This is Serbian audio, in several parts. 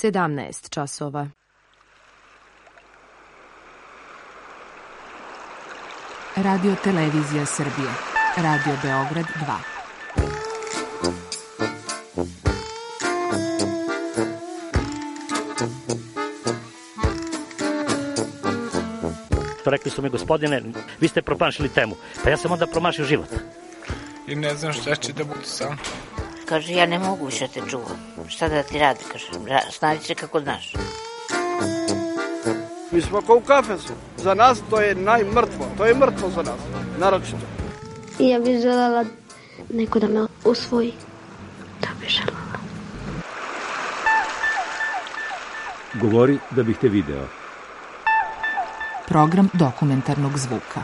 17 časova. Radio Televizija Srbije. Radio Beograd 2. Rekli su mi, gospodine, vi ste promašili temu. Pa ja sam onda promašio život. I ne znam šta će da bude sam. Kaže, ja ne mogu više te čuvam. Šta da ti radi, kaže, snađi se kako znaš. Mi smo kao u kafesu. Za nas to je najmrtvo. To je mrtvo za nas, naročito. I ja bih željela neko da me usvoji. To bih željela. Govori da bih te video. Program dokumentarnog zvuka.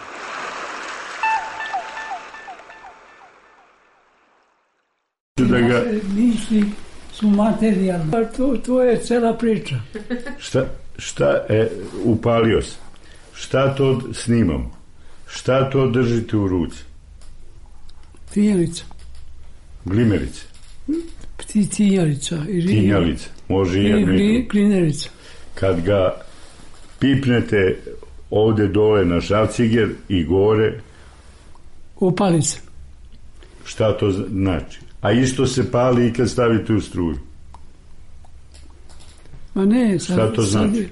Misli su materijalne. To je cela priča. Šta upalio sam? Šta to snimam? Šta to držite u ruci? Tinjalica. Glimerica. Tinjalica. Tinjalica. Može i glinerica. Kad ga pipnete ovde dole na šrafciger i gore, upali se. Šta to znači? A isto se pali i kad stavite u struju. Ma ne, šta to znači?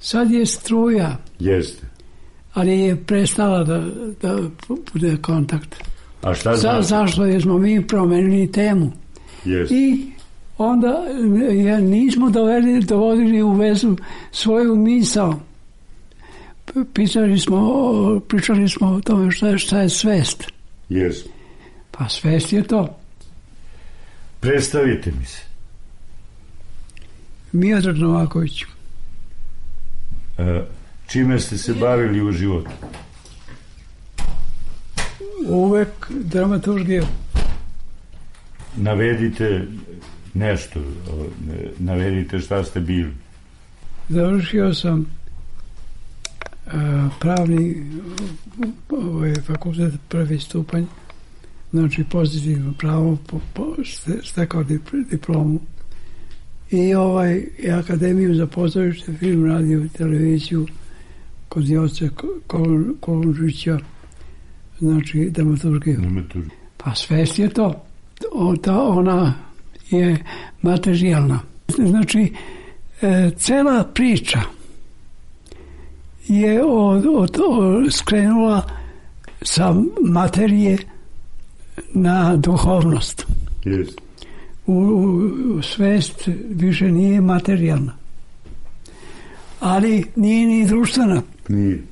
Sad je struja. Jeste. Ali je prestala da bude kontakt. A šta znači? Zašto? Jer smo mi promenili temu. Jeste. I onda nismo dovodili u vezu svoju misao. Pričali smo o tome šta je svest. Jeste. Pa svest je to. Predstavite mi se. Miodrag Novaković. Čime ste se bavili u životu? Uvek dramaturgija. Navedite nešto. Navedite šta ste bili. Završio sam pravni fakultet, prvi stupanj. Znači pozitivno pravo, stekao diplomu. I akademiju za pozorište, film, radio i televiziju kod Joce Kolundžića, znači dramaturgiju. Pa svest je to. Ona je materijalna. Znači, cela priča je skrenula sa materije na duhovnost. Yes. U svest više nije materijalna. Ali nije ni društvena. Nije.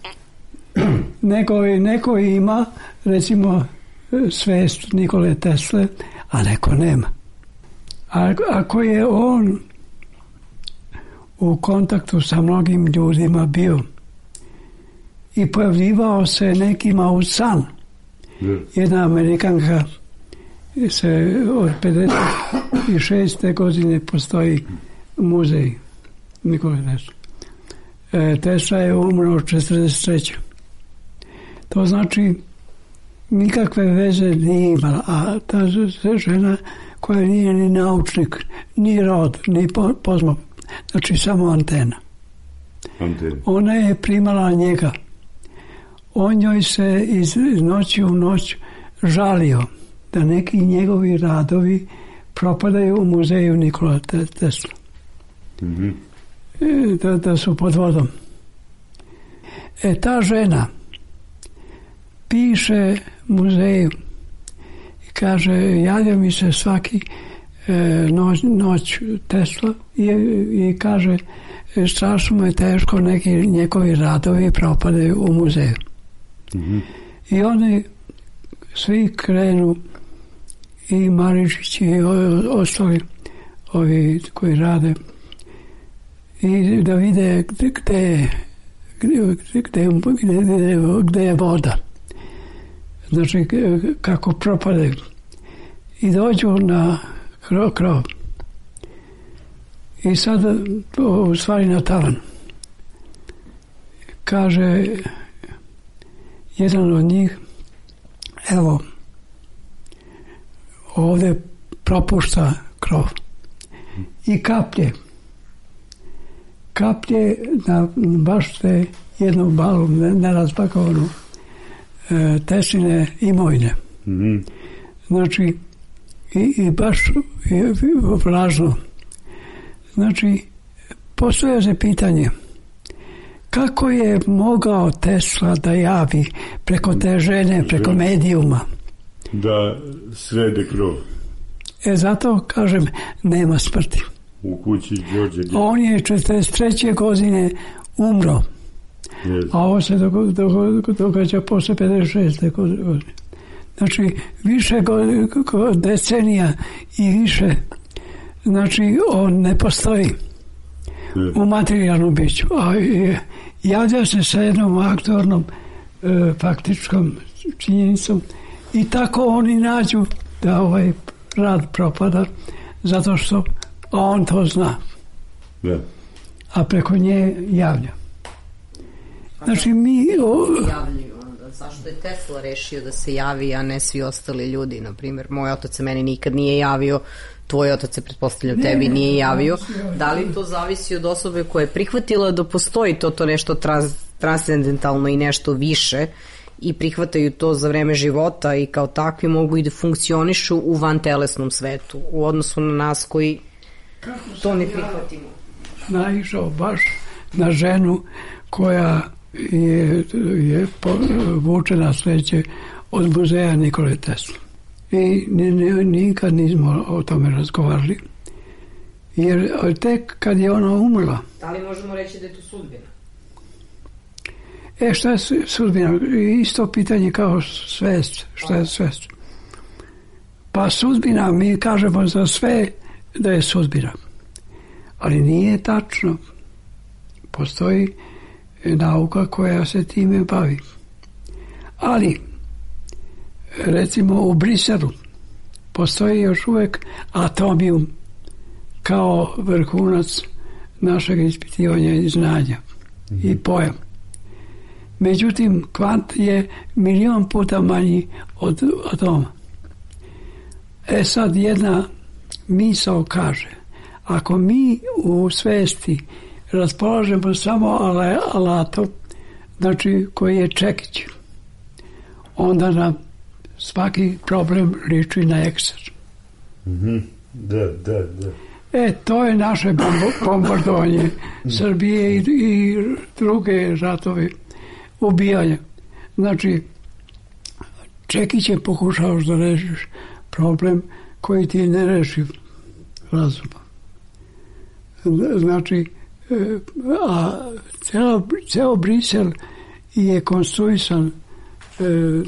Neko ima, recimo, svest Nikole Tesle, a neko nema. Ako je on u kontaktu sa mnogim ljudima bio i pojavljivao se nekima u san, jedna Amerikanka od 56. godine postoji muzej Nikole Tesla. Tesla je umro od 43. To znači nikakve veze nije imala, a ta žena koja nije ni naučnik, ni rod, ni pozmog, znači samo antena. Ona je primala njega. On njoj se iz noći u noć žalio da neki njegovi radovi propadaju u muzeju Nikola Tesla. Mm-hmm. Da su pod vodom. Ta žena piše muzeju i kaže, javlja mi se svaki noć Tesla i kaže, strašno mu je teško, neki njegovi radovi propadaju u muzeju. Mm-hmm. I oni svi krenu, i Maričić i ostali ovi koji rade, i da vide gde je voda. Znači kako propadaju. I dođu na krov. I sad u stvari na tavan. Kaže jedan od njih, evo, ovdje propušta krov. I kaplje kaplje na baš te jednu balu nerazpakovanu Tesline imovine. Znači, i baš vlažno. Znači, postavlja se pitanje kako je mogao Tesla da javi preko te žene, preko medijuma? Da srede krov. Zato, kažem, nema smrti. U kući Đorđe. On je 43. godine umro. A ovo se događa posle 56. godine. Znači, više decenija i više, znači, on ne postoji u materijalnom biću. A javlja se sa jednom aktornom faktičkom činjenicom i tako oni nađu da ovaj rad propada zato što on to zna. A preko nje javlja. Znači mi... Zašto je Tesla rešio da se javi, a ne svi ostali ljudi? Naprimjer, moj otac se meni nikad nije javio, tvoj otac se, pretpostavljam, tebi nije javio. Da li to zavisi od osobe koja je prihvatila da postoji to nešto transcendentalno i nešto više i prihvataju to za vreme života i kao takvi mogu i da funkcionišu u vantelesnom svetu u odnosu na nas koji to ne prihvatimo? Naišao baš na ženu koja je vučena sveće od muzeja Nikole Tesla. I nikad nismo o tome razgovarali. Jer tek kad je ona umrla... Da li možemo reći da je to sudbina? Šta je sudbina? Isto pitanje kao svest. Šta je svest? Pa sudbina, mi kažemo za sve da je sudbina. Ali nije tačno. Postoji nauka koja se time bavi. Ali, recimo u Briselu postoji još uvek atomijum kao vrhunac našeg ispitivanja i znanja i pojam. Međutim, kvant je 1.000.000 puta manji od atoma. Sad jedna misao kaže, ako mi u svesti raspolažemo samo alatom, znači koji je čekić, onda nam svaki problem liči na ekser. Da. To je naše bombardovanje Srbije i druge ratove ubijanja. Znači, čekićem pokušavaš da rešiš problem koji ti ne reši razumom. Znači, a ceo Brisel je konstruisan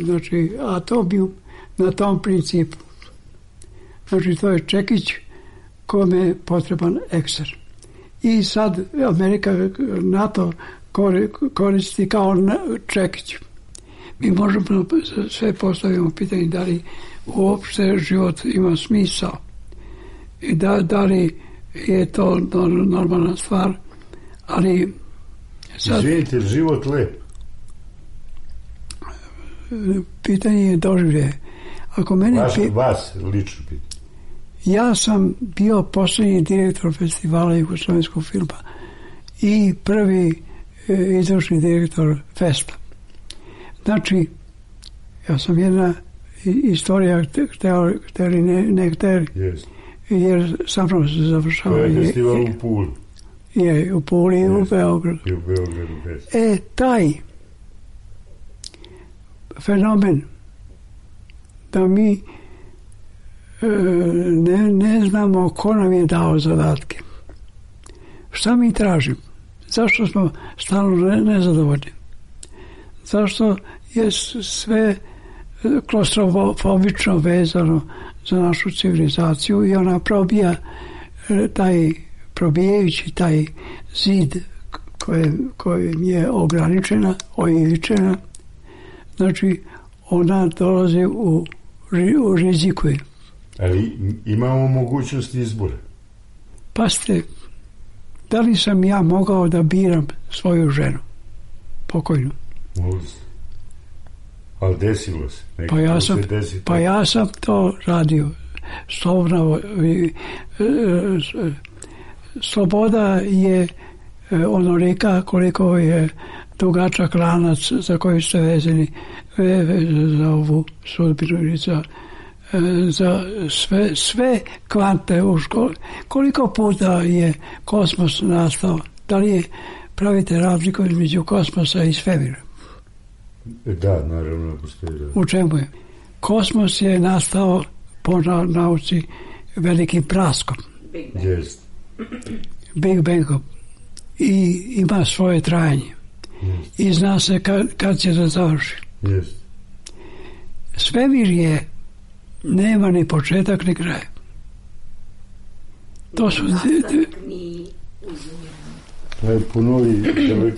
znači atomijum na tom principu. Znači to je čekić kome je potreban ekser. I sad Amerika, NATO koristi kao čekić. Mi možemo sve postavimo pitanje da li uopšte život ima smisao i da li je to normalna stvar, ali sad... Izvinite, život lep? Pitanje je doživlje. Ako mene vas lično pitanje. Ja sam bio posljednji direktor festivala jugoslovenskog filma i prvi izvršni direktor festa. Znači, ja sam jedna istorija hteli ne hteli. Jer sa mnom se završava. To je festival u Puli. Je, u Puli i u Beogradu. I u Beogradu. Taj fenomen da mi ne znamo ko nam je dao zadatke. Šta mi tražimo? Zašto smo stalno nezadovoljni? Zašto je sve klaustrofobično vezano za našu civilizaciju i ona probijajući taj zid kojim je ograničena, oivičena, znači ona dolazi u riziku. Ali imamo mogućnost izbora. Pazite, da li sam ja mogao da biram svoju ženu? Pokojnu. Ali desilo se. Pa ja sam to radio. Sloboda je onolika koliko je dugačak lanac za koji ste vezani za ovu sudbinu, za sve kvante u školi. Koliko puta je kosmos nastao? Da li pravite razliku između kosmosa i svemira? Da, naravno postoji. U čemu je? Kosmos je nastao po nauci velikim praskom. Big Bangom. I ima svoje trajanje. I zna se kad će da završi. Svemir nema ni početak ni kraj. To su...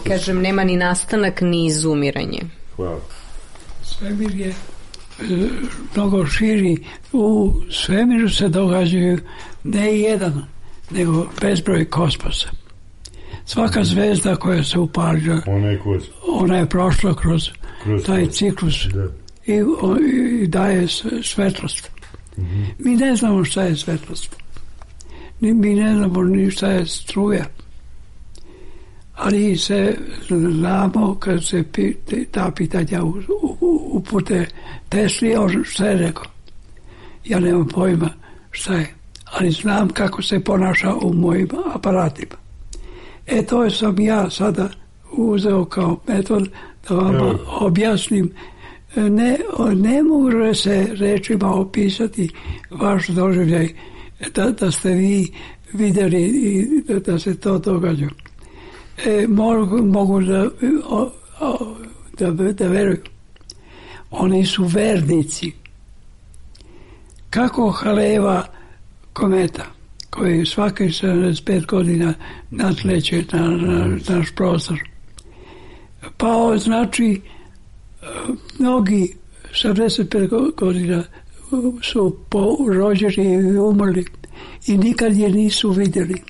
Kažem, nema ni nastanak ni izumiranje. Hvala. Svemir je mnogo širi. U svemiru se događaju ne jedan, nego bezbroj kosmosa. Svaka zvezda koja se upalja, ona je prošla kroz taj ciklus i daje svetlost. Mi ne znamo šta je svetlost. Mi ne znamo ni šta je struja. Ali se znamo kad se ta pitanja upute Tesli, on šta je rekao. Ja nemam pojma šta je, ali znam kako se ponaša u mojim aparatima. To sam ja sada uzeo kao metod da vam objasnim. Ne mogu se rečima opisati vaš doživljaj da ste vi vidjeli i da se to događa. Mogu da veruju. Oni su vernici. Kako haleva kometa koji svaki 75 godina natleće na naš prostor. Pa znači mnogi 75 godina su rođeni i umrli i nikad je nisu vidjeli.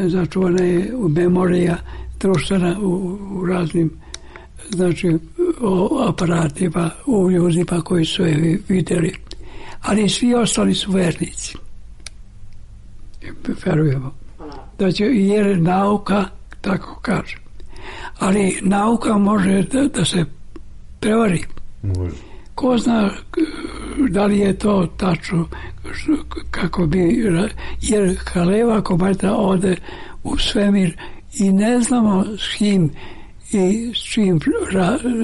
Začuvana je memorija društvena u raznim aparatima, u ljudima koji su je vidjeli. Ali svi ostali su vernici. Verujemo. Jer nauka tako kaže. Ali nauka može da se prevari. Može. Ko zna da li je to tačno, kako bi, jer haleva kometa ode u svemir i ne znamo s kim i s čim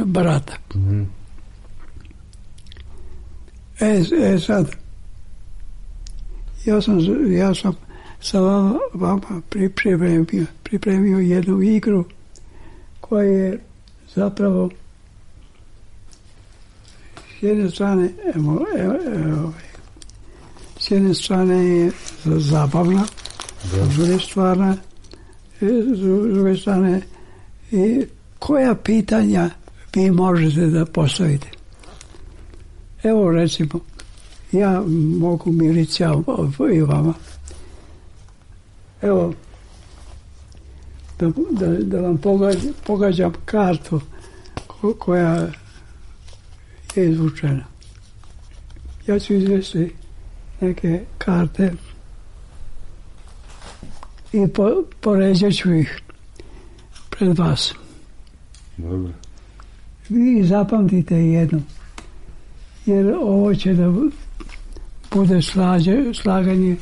barata. Sad, ja sam sa vama pripremio jednu igru koja je zapravo s jedne strane je zabavna, s druge strane koja pitanja vi možete da postavite. Evo recimo, ja mogu Milica i vama. Evo, da vam pogađam kartu koja je izvučena. Ja ću izvesti neke karte i poređat ću ih pred vas. Dobro. Vi zapamtite jedno, jer ovo će da bude slaganje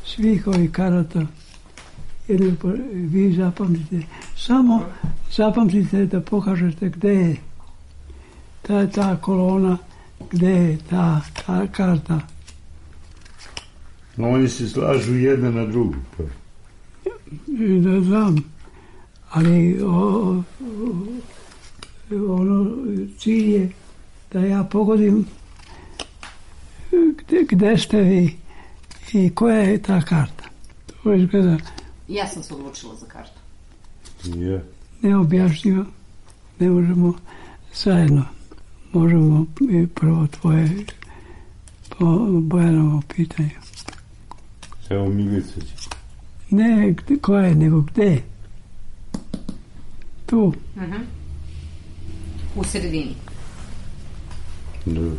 svih ovih karata. Jer vi zapamtite, samo zapamtite da pokažete gde je ta kolona, gde je ta karta. Oni se slažu jedna na drugu. Da znam, ali cilj je da ja pogodim gde ste vi i koja je ta karta. To izgleda... Ja sam se odlučila za kartu. Neobjašnjivo. Ne možemo zajedno. Možemo i prvo tvoje Bojanovo pitanje. Evo Milica će. Ne koja, nego gde? Tu. U sredini. Dobro.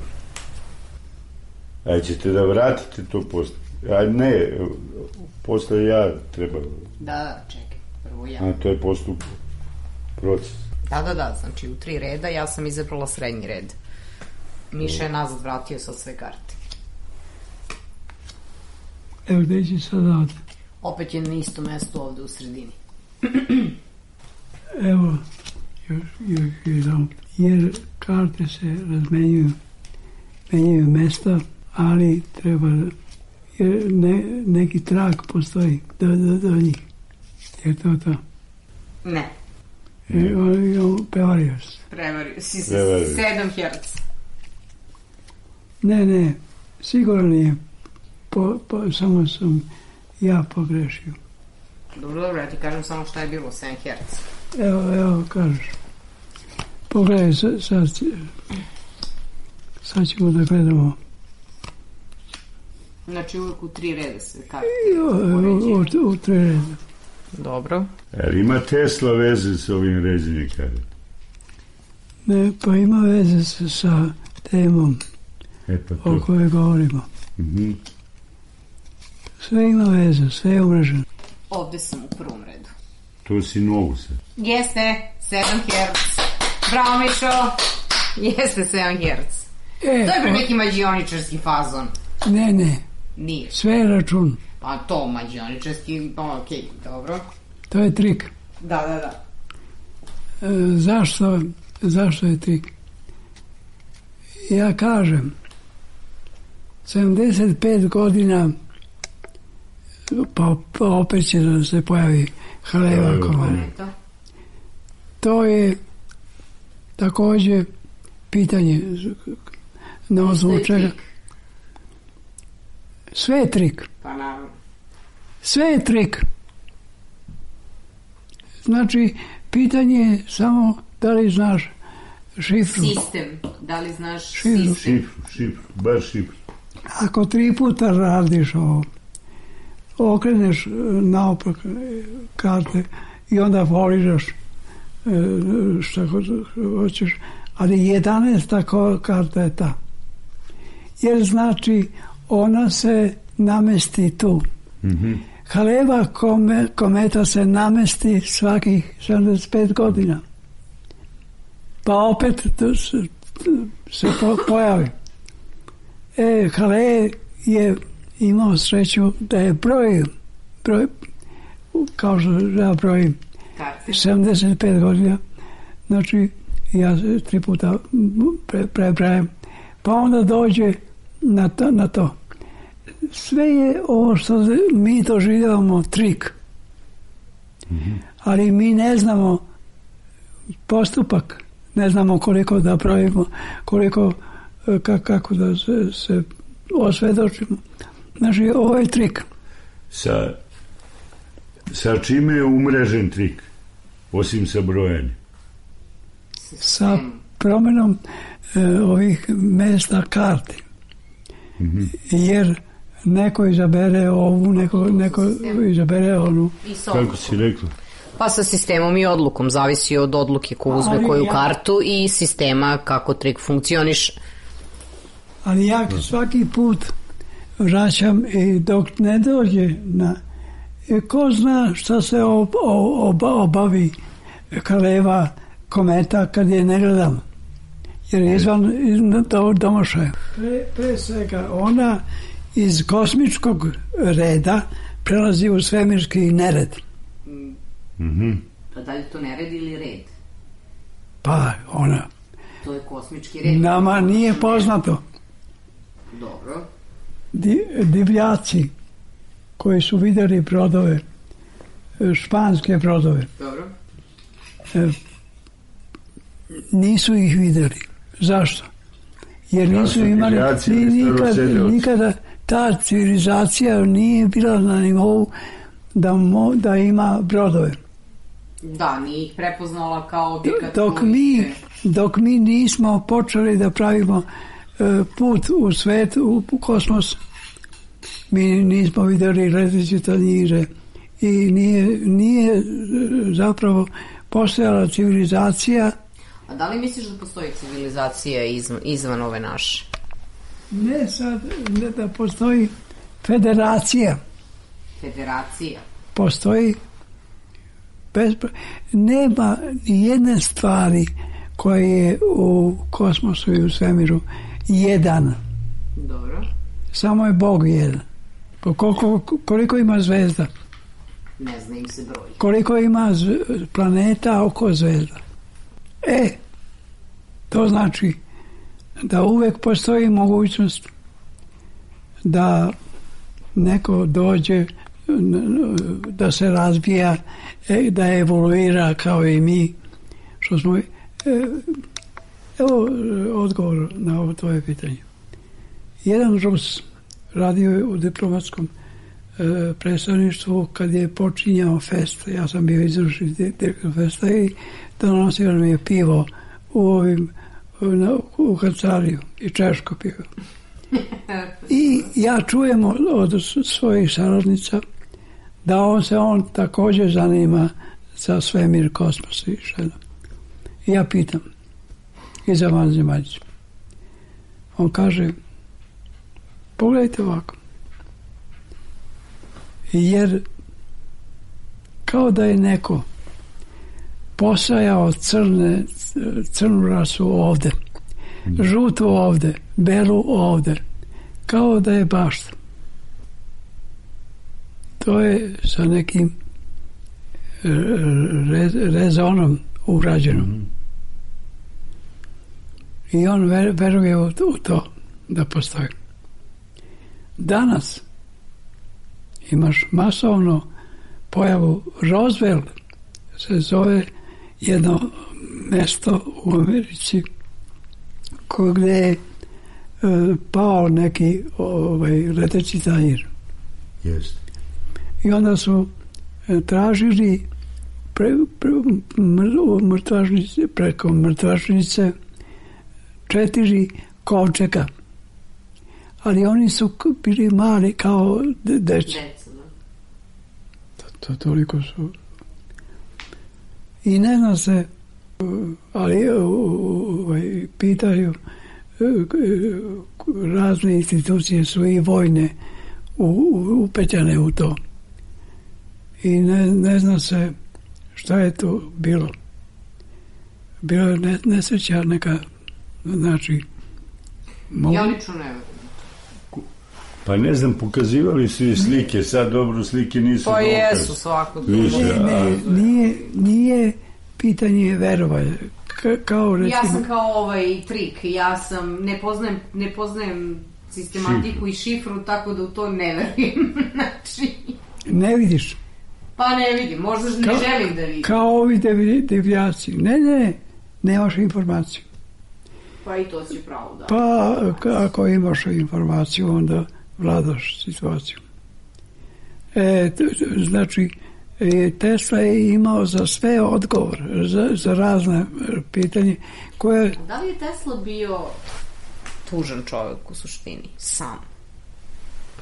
A ćete da vratite to posle? A ne, posle ja treba... Da, čekaj, prvo ja. A to je postup, proces. Da, znači u 3 reda ja sam izabrala srednji red. Miša je nazad vratio sa sve karte. Evo gde će sad ovde? Opet je na isto mesto ovde u sredini. Evo, još jedan. Jer karte se razmenjuju, menjaju mesta, ali treba, jer neki trag postoji do njih. Je to to? Ne. Prevario se. Prevario si se 7 Hz. Ne, sigurno nije. Samo sam ja pogrešio. Dobro, ja ti kažem samo šta je bilo, 7 Hz. Evo, kažeš. Pogledaj, sad ćemo da gledamo. Znači uvijek u 3 reda se karte. U 3 reda. Dobro. Jer ima Tesla veze s ovim ređenjem karte? Ne, pa ima veze sa temom o kojoj govorimo. Sve ima veze, sve je umreženo. Ovde sam u prvom redu. To si novu se. Jeste, 7 Hz. Bravo, Mišo. Jeste 7 Hz. To je pre neki mađioničarski fazon. Ne. Nije. Sve je račun. Pa to mađioničarski, okej, dobro. To je trik. Da. Zašto je trik? Ja kažem, 75 godina pa opet će da se pojavi haleva kometa. To je takođe pitanje na osnovu čega. Sve je trik. Pa naravno. Sve je trik. Znači, pitanje je samo da li znaš šifru. Sistem. Da li znaš sistem? Šifru, baš šifru. Ako 3 puta radiš ovo, okreneš naopak karte i onda poliraš šta hoćeš, ali 11. karta je ta. Jer znači ona se namesti tu. Haleva kometa se namesti svakih 75 godina. Pa opet se pojavi. Hale je imao sreću da je broj kao što ja brojim 75 godina, znači ja 3 puta prebrajam, pa onda dođe na to. Sve je ovo što mi doživljavamo trik, ali mi ne znamo postupak, ne znamo koliko da pravimo, koliko kako da se osvedočimo. Znači, ovo je trik. Sa čime je umrežen trik, osim sa brojanjem? Sa promenom ovih mesta karti. Jer neko izabere ovu, neko izabere onu. Kako si rekla? Pa sa sistemom i odlukom, zavisi od odluke ko uzme koju kartu i sistema kako trik funkcioniše. Ali ja svaki put vraćam i dok ne dođe na... Ko zna šta se obavi haleva kometa kad je ne gledam? Jer je izvan domašaja. Pre svega ona iz kosmičkog reda prelazi u svemirski nered. Pa da li to nered ili red? Pa ona... To je kosmički red. Nama nije poznato. Dobro. Divljaci koji su videli brodove, španske brodove, dobro, nisu ih videli. Zašto? Jer nisu imali nikada ta civilizacija nije bila na nivou da ima brodove. Da, nije ih prepoznala kao objekat. Dok mi nismo počeli da pravimo put u svet, u kosmos, mi nismo videli leteće tanjire i nije zapravo postojala civilizacija. A da li misliš da postoji civilizacija izvan ove naše? Ne sad, ne da postoji, Federacija. Federacija. Postoji nema ni jedne stvari koje je u kosmosu i u svemiru jedan. Dobro. Samo je Bog jedan. Koliko ima zvezda? Ne zna im se broj. Koliko ima planeta oko zvezda? To znači da uvek postoji mogućnost da neko dođe, da se razvija, da evoluira kao i mi, što smo... Evo odgovor na ovo tvoje pitanje. Jedan Rus radio u diplomatskom predstavništvu kad je počinjao fest. Ja sam bio izvršni direktor festa i donosio nam je pivo u kancelariju i češko pivo. I ja čujem od svojih saradnica da on također zanima za svemir, kosmos i što. I ja pitam i za vanzemaljce. On kaže, pogledajte ovako. Jer kao da je neko posajao crnu rasu ovde, žutu ovde, belu ovde, kao da je bašta. To je sa nekim rezonom urađeno. I on veruje u to da postoji. Danas imaš masovno pojavu Roswell, se zove jedno mesto u Americi gdje je pao neki leteći tanjir. Jest. I onda su tražili preko mrtvačnice 4 kovčega. Ali oni su bili mali kao deca. To toliko su. I ne zna se, ali pitaju, razne institucije su i vojne upetljane u to. I ne zna se šta je to bilo. Bilo je nesreća neka, znači... Ja lično ne verujem. Pa ne znam, pokazivali su i slike, sad dobro slike nisu pa dokaz. Jesu svako. Nije pitanje verovanja. Kao recimo... Ja sam kao ovaj trik, ne poznajem sistematiku i šifru, tako da u to ne verujem. Znači... Ne vidiš? Pa ne vidim, možda ne želim da vidim. Kao ovi devijaci. Ne, nemaš informaciju. Pa i to si pravo, da. Pa ako imaš informaciju, onda vladaš situaciju. Znači, Tesla je imao za sve odgovor, za razne pitanje koje... Da li je Tesla bio tužan čovjek u suštini, sam?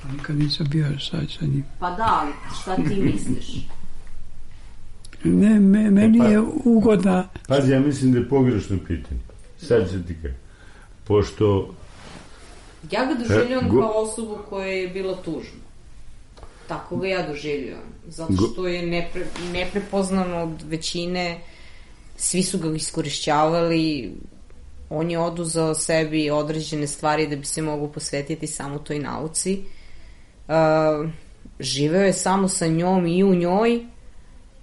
Pa nikad nisam bio sad sa njim. Pa da, ali šta ti misliš? Ne, meni je ugodna... Pazi, ja mislim da je pogrešno pitanje. Sad se ti kaže. Pošto... Ja ga doživljujem kao osobu koja je bila tužna. Tako ga ja doživljujem. Zato što je neprepoznano od većine. Svi su ga iskorišćavali. On je oduzeo sebi određene stvari da bi se mogu posvetiti samo toj nauci. Živeo je samo sa njom i u njoj,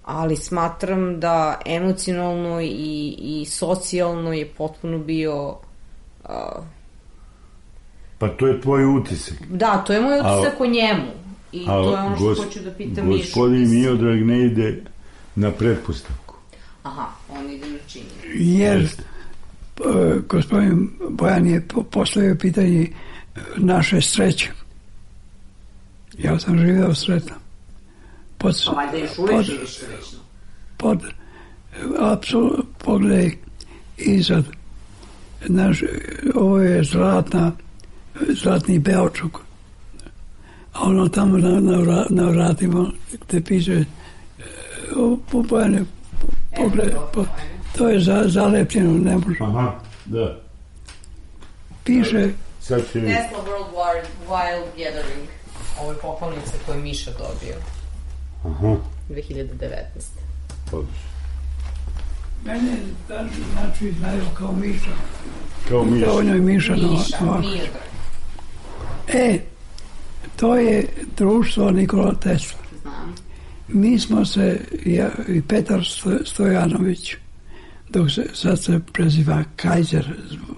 ali smatram da emocionalno i socijalno je potpuno bio... Pa to je tvoj utisak. Da, to je moj utisak o njemu. I to je ono što hoću da pitam Mišu. Gospodin Miodrag ne ide na pretpostavku. Aha, on ide na činjenje. Jer gospodin Bojan je postavio pitanje naše sreće. Ja sam živio sretno. Pa valjda još uvijek živiš srećno. Apsolutno, pogledaj izad. Ovo je zlatni Beočuk. A ono tamo na vratima gde piše Bojane, pogledaj, to je zalepljeno, ne može. Aha, da. Piše Tesla World Wild Gathering. Ovo je pohvalnica koju je Miša dobio. Aha. 2019. Odlično. Mene znači znaju kao Miša. Kao Miša. On je Miša. To je društvo Nikola Tesla. Znam. Mi smo se, ja i Petar Stojanović, dok se sad se preziva Kajzer,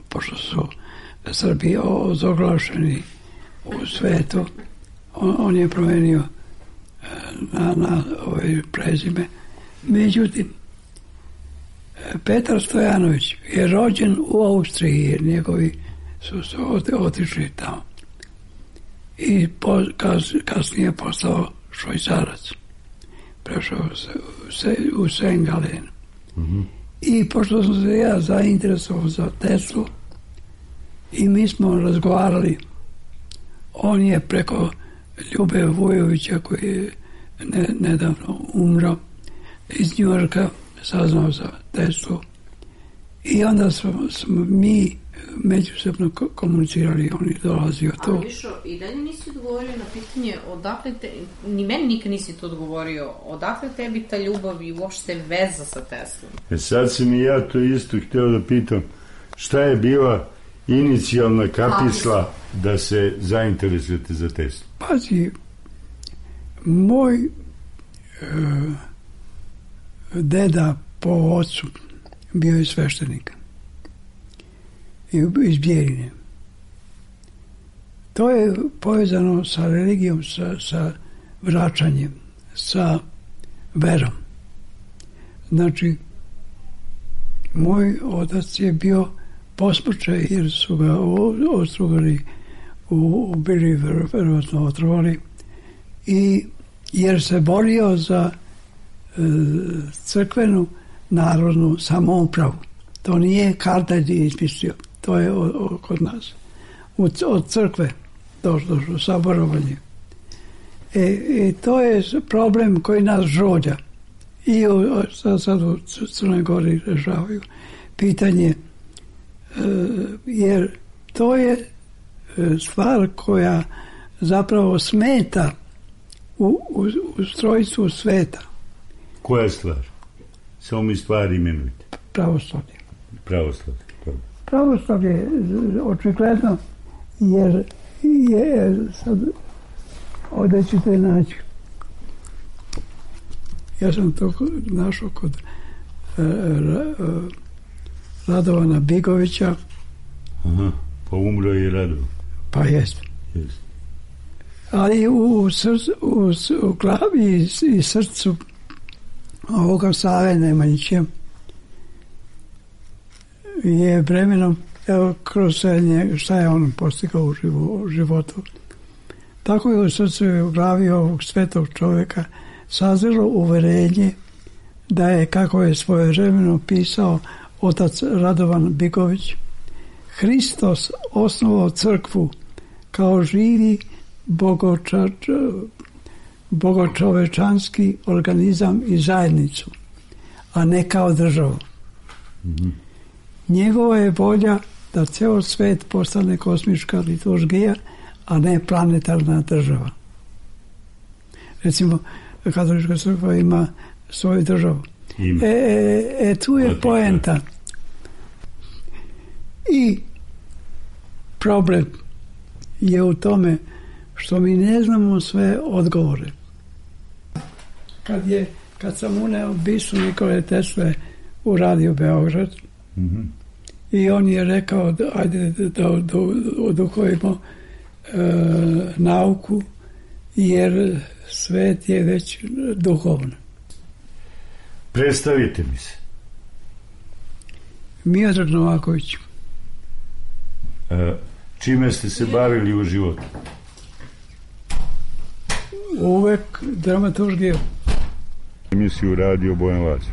pošto su Srbi ozoglašeni u svetu, on je promenio na ove prezime. Međutim, Petar Stojanović je rođen u Austriji, jer njegovi su se otišli tamo. I kasnije postao Švajcarac. Prešao se u Sengalen. I pošto sam se ja zainteresovao za Teslu i mi smo razgovarali, on je preko Ljube Vujovića, koji je nedavno umro, iz Njujorka saznao za Teslu i onda smo mi međusobno komunicirali, on je dolazio to. Ali Mišo, i dalje nisi odgovorio na pitanje odakle ni meni nikad nisi to odgovorio, odakle tebi ta ljubav i uopšte veza sa Teslom? Sad sam i ja to isto hteo da pitam, šta je bila inicijalna kapisla da se zainteresujete za Teslu? Pazi, moj deda po ocu bio je sveštenik iz Bjeljine. To je povezano sa religijom, sa vraćanjem, sa verom. Znači, moj otac je bio posmrćaj jer su ga ostrugali, ubili, verovatno otrovali, i jer se borio za crkvenu narodnu samoupravu. To nije Kardelj izmislio, to je kod nas. Od crkve došlo saborovanje. To je problem koji nas žolja. I sad u Crnoj Gori rešavaju pitanje, jer to je stvar koja zapravo smeta u ustrojstvu sveta. Koja je stvar? Samo mi stvari imenujte. Pravoslavlje. Pravoslavlje, očigledno, jer je sad ovdje ćete naći. Ja sam to našao kod Radovana Bigovića. Aha, pa umro je Radovan. Pa jest. Ali u glavi i srcu ovoga Save Nemanjića je vremenom, evo, kroz šta je on postigao u životu. Tako je u srcu i u glavi ovog svetog čovjeka sazrelo uverenje da je, kako je svojevremeno pisao otac Radovan Bigović, Hristos osnovao crkvu kao živi bogočovečanski organizam i zajednicu, a ne kao državu. Njegova je volja da ceo svet postane kosmička liturgija, a ne planetarna država. Recimo, katolička crkva ima svoju državu. Tu je poenta. I problem je u tome što mi ne znamo sve odgovore. Kad sam uneo bistu Nikole Tesle u Radio Beograd, i on je rekao ajde da oduhojimo nauku, jer svet je već duhovno. Predstavite mi se. Miodrag Novaković. Čime ste se bavili u životu? Uvek dramaturgija. Emisiju Radio Bojan Lazić.